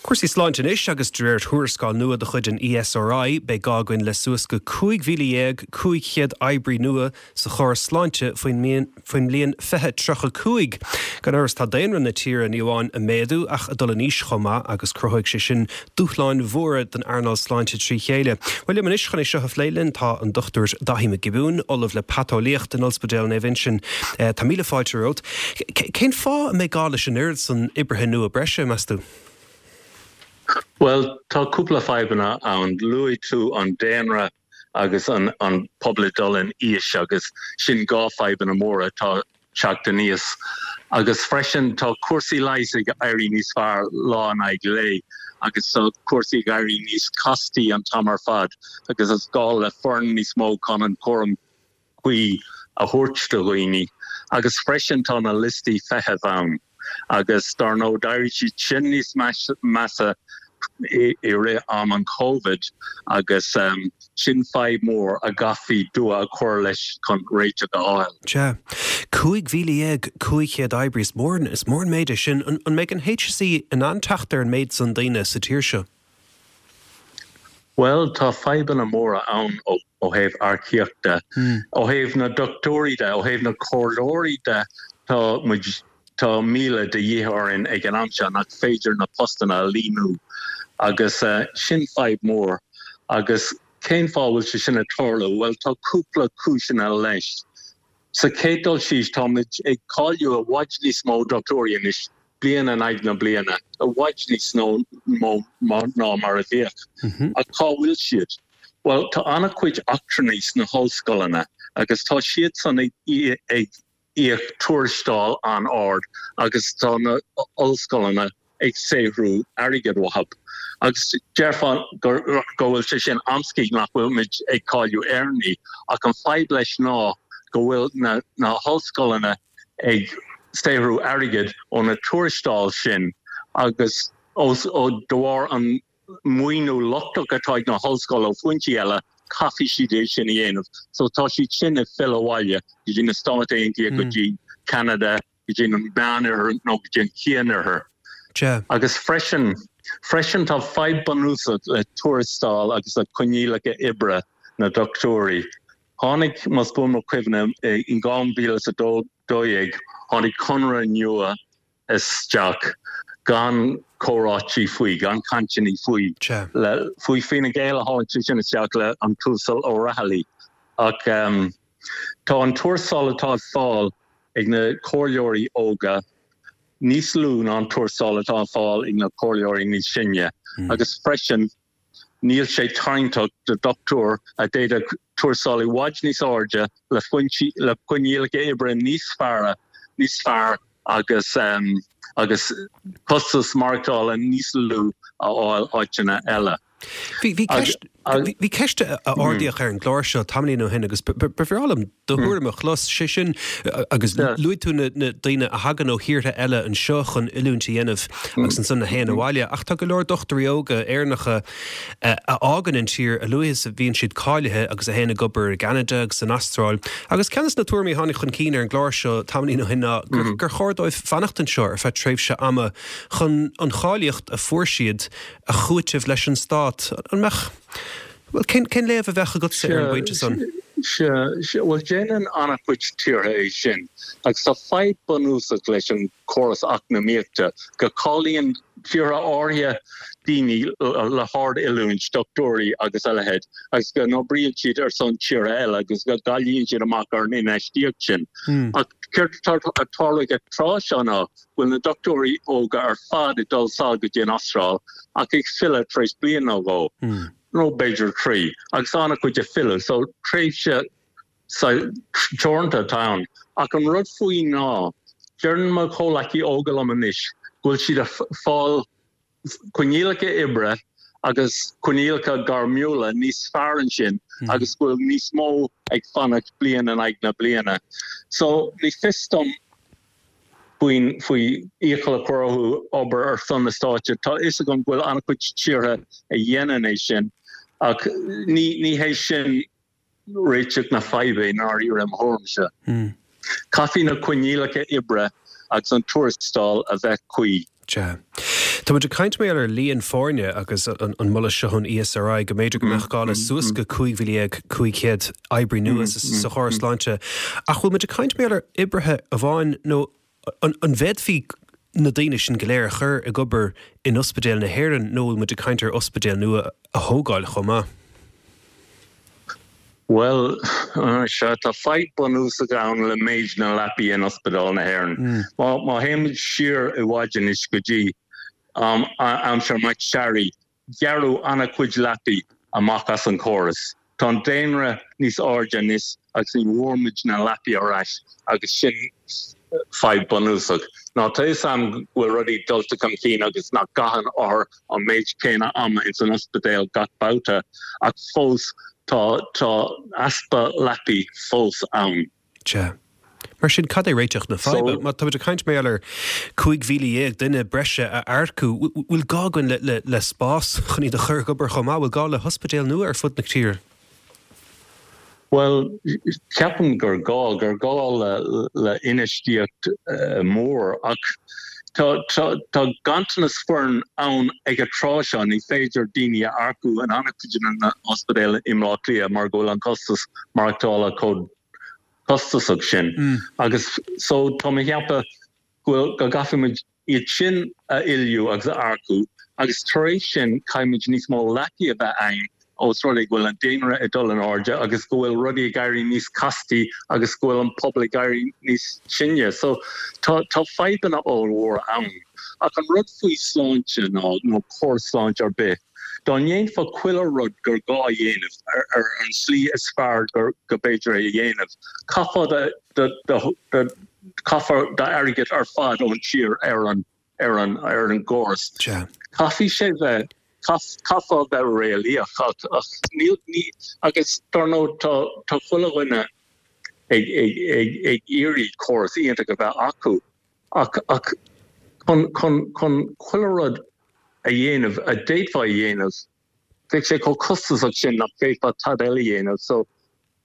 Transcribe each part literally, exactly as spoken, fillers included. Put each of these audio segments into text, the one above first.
Cúrsaí sláinte anois agus de réir tuarascáil nua de chuid an ESRI beidh gá againn le suas go cúig mhíle dhéag cúig chéad oibrí nua sa chóras sláinte faoin mbliain fiche tríocha cúig. Gan amhras tá daonra na tíre ní amháin ag méadú ach ag dul in aois chomh maith agus cruthóidh sé sin dúshláin mhóra don earnáil sláinte trí chéile. Bhuel liom anois chun é seo a phlé linn tá an Dochtúir Daithí Mac Giobúin, Ollamh le Paiteolaíocht in Ospidéal Naomh Uinseann. Tá míle fáilte romhat. Cén fáth a mbeidh gá leis an oiread san oibrithe nua breise, meas tú? Bhuel, tá cúpla fadhbanna ann. Luaigh tú an daonra agus an an pobal ag dul in aois agus sin dhá fadhbanna móra atá teacht aníos. Agus freisin tá cúrsaí leighis ag éirí níos fearr lá in aghaidh lae agus tá cúrsaí ag éirí níos castaí an t-am ar fad agus is gá le foireann níos mó chun an cúram cuí a thabhairt do dhaoine. Agus freisin tá na liostaí feithimh ann. Agus dar ndóigh d'éirigh siad sin níos measa i rith am an Covid agus sin fadhb mór a gcaithfí dua a chur leis chun réiteach a fháil. Sea. Cúig mhíle dhéag cúig chéad oibrí, is mór is mór an méid é sin. An mbeidh an HSE in ann teacht ar an méid san daoine sa tír seo? Bhuel, tá fadhbanna móra ann ó thaobh earcaíochta. Ó thaobh na dochtúirí de, ó thaobh na comhairleoirí de, tá muid, tá míle de dhíth orainn ag an am seo nach féidir na postanna a líonadh agus sin fadhb mhór. Agus cén fáth a bhfuil sé sin ag tarlú? Bhuel, tá cúpla cúiseanna leis. Sa chéad dul síos, táimid ag cáiliú i bhfad níos mó dochtúirí anois bliain in aghaidh na bliana, i bhfad níos mó ná mar a bhíodh. Ach cá bhfuil siad? Bhuel, tá an-chuid eachtrannaigh sna hollscoileanna agus tá siadsan ag íoc tuarastal an-ard agus tá na hollscoileanna ag saothrú airgead uathu. Agus déarfá go bhfuil sé sin amscaí nach bhfuil muid ag cáiliú Éireannaigh, ach an fadhb leis ná go bhfuil na hollscoileanna ag saothrú airgid ó na tuarastail sin agus de bharr an maoiniú lochtach atá ag na hollscoil ó foinsí eile, caithfidh siad é sin a dhéanamh. So tá siad sin ag filleadh abhaile go dtí na Stáit Aontaithe, go dtí Ceanada, go dtí an Meánoirthear nó go dtí an Chianoirthear. Agus freisin, freisin tá fadhb bunúsach le tuarastail agus le coinníollacha oibre na dochtúirí. Tháinig, más buan mo chuimhne, in dhá mhíle is a dó dhéag, tháinig conradh nua isteach gan comhráití faoi, gan cainteanna faoi. Le, faoi Fine Gael a tháinig sé sin isteach le an tUasal O'Rahilly. Ach tá an tuarastal atá ag fáil ag na comhairleoirí óga níos lú ná an tuarastal atá ag fáil ag na comhairleoirí níos sine. Agus freisin, Níl sé tarraingteach do dhochtúir a d'fhéadfadh tuarastal i bhfad níos airde le foinsí, le coinníollacha oibre níos fearr, níos fearr agus agus costas maireachtála níos lú a fháil áiteanna eile. Bhí bhí ceist bhí ceist a ardaíodh ar an gclár seo tamaillín ó shin agus ba bhreá liom do thuairim a chlos, sé sin agus luaigh tú na daoine a thagann ó thíortha eile anseo chun oiliúint a dhéanamh agus ansan a théann abhaile, ach tá go leor dochtúirí óga Éireannacha a fhágann an tír a luaithe is a bhíonn siad cáilithe agus a théann ag obair i gCeanada agus san Astráil. Agus ceann de na tuairimí a tháinig chun cinn ar an gclár seo tamaillín ó shin ná gur chóir dóibh fanacht anseo ar feadh tréimhse ama chun an cháilíocht a fuair siad a chúiteamh leis an stát. An mbeadh, bhuel, cén, cén léamh a bheadh agatsa ar an bpointe san? Sea, sea, bhuel, déanann an-chuid tíortha é sin, agus tá fadhb bunúsach leis an córas eacnamaíochta, go cáilíonn tíortha áirithe daoine le hard-oiliúint, dochtúirí agus a leithéid, agus go n-oibríonn siad ar son tíortha eile agus go gcailleann siad amach ar an infheistíocht sin. Ach céard atá ag tarlú ag an tráth seo ná bhfuil na dochtúirí óga ar fad ag dul sall go dtí an Astráil ach ag filleadh tar éis bliain nó dhó, nó b'fhéidir trí, agus an-chuid ag filleadh, so tréimhse teoranta atá ann. Ach an rud faoi ná, deireann mo chomhleacaí óga liom anois go bhfuil siad ag fáil coinníollacha oibre agus coinníollacha gairmiúla níos fearr ansin agus go bhfuil níos mó ag fanacht bliain in aghaidh na bliana. So ní fios dom faoin faoi iachall a chur orthu obair ar son na stáit. Tá fhios agam go bhfuil an-chuid tíortha a dhéanann é sin ach ní ní hé sin réiteach na faidhbe i ndáiríre i mo thuairimse. Caithfidh na coinníollacha oibre agus an tuarastal a bheith cuí. Sea. Tá muid ag caint mar ar líon foirne agus an moladh seo ón E S R I go mb'fhéidir go mbeadh gá le suas go cúig mhíle dhéag cúig chéad oibrí nua sa chóras sláinte. Ach bhfuil muid ag caint mar ar oibrithe amháin nó an bhféadfaí na daoine sin go léir a chur ag obair in Ospidéal na hÉireann nó bhfuil muid ag caint ar ospidéal nua a thógáil chomh maith? Well, se tá fadhb bunúsach ann le méid na leapaí in Ospidéal na hÉireann. Mm. Má má théimid siar i bhfad anois go dtí um, aimsir McSharry, gearradh an-chuid leapaí amach as an chóras. Tá an daonra níos airde anois agus ní bhfuair muid na leapaí ar ais agus sin fadhb bunúsach. Ná tá am bhfuil rudaí dulta chun cinn agus nach gcaitheann othair an méid céanna ama in san ospidéal gach babhta ach fós tá tá easpa leapaí fós ann. Sea. Mar sin cad é réiteach na faidhbe, má tá caint mé ar cúig mhíle dhéag duine breise a earcú, bhfuil gá againn le, le, le spás chun iad a chur ag obair chomh maith, bhfuil gá le hospidéal nua ar fud na tíre. Well, ceapaim gur gá gur gá le, le infheistíocht uh, mór ach tá, tá, tá ganntanas foirne ann ag an tráth seo. Ní féidir daoine a earcú in an-chuid na ospidéal i mBleá Cliath mar go bhfuil an costas maireachtála chomh costasach sin. Mm. Agus so tá mé cheapadh go go gcaithfimid iad sin a oiliúint agus a earcú agus tar éis sin caithfimid níos mó leapaí a bheith ann os rud é go bhfuil an daonra ag dul in airde agus go bhfuil rudaí ag éirí níos castaí agus go bhfuil an pobal ag éirí níos sine. So tá tá fadhbanna ollmhóra ann. Ach an rud faoi sláinte ná nó córas sláinte ar bith. Dá ndéanfá chuile rud gur gá dhéanamh ar, ar an slí is fearr gur go b'fhéidir é a dhéanamh. Caithfear caithfear d'airgead ar fad ón tír ar an ar an ar an gcóras. Caithfidh sé bheith caithfear bheith réalaíoch ach ní agus dar ndóigh tá tá chuile dhuine ag ag ag ag iarraidh córas iontach a bheith acu ach ach chun chun chun chuile rud a dhéanamh a d'fhéadfá a dhéanamh bheadh sé chomh costasach sin nach bhféadfá tada eile a dhéanamh, so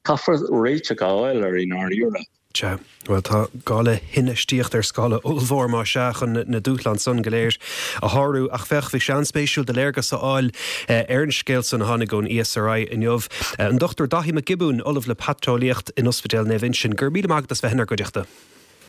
caithfear réiteach a fháil ar i ndáiríre. Sea, well tá gá le hinfheistíocht ar scála ollmhór má sea chun na dúshláin san go léir a shárú ach féach bhí sé an-spéisiúil do léargas a fháil eh, ar an scéal san a tháinig ón E S R I inniu. Eh, an Dochtúir Dáithí Mac Giobúin, ollamh le paiteolaíocht in Ospidéal Naomh Uinseann, gur míle maith as bheith inár gcuideachta.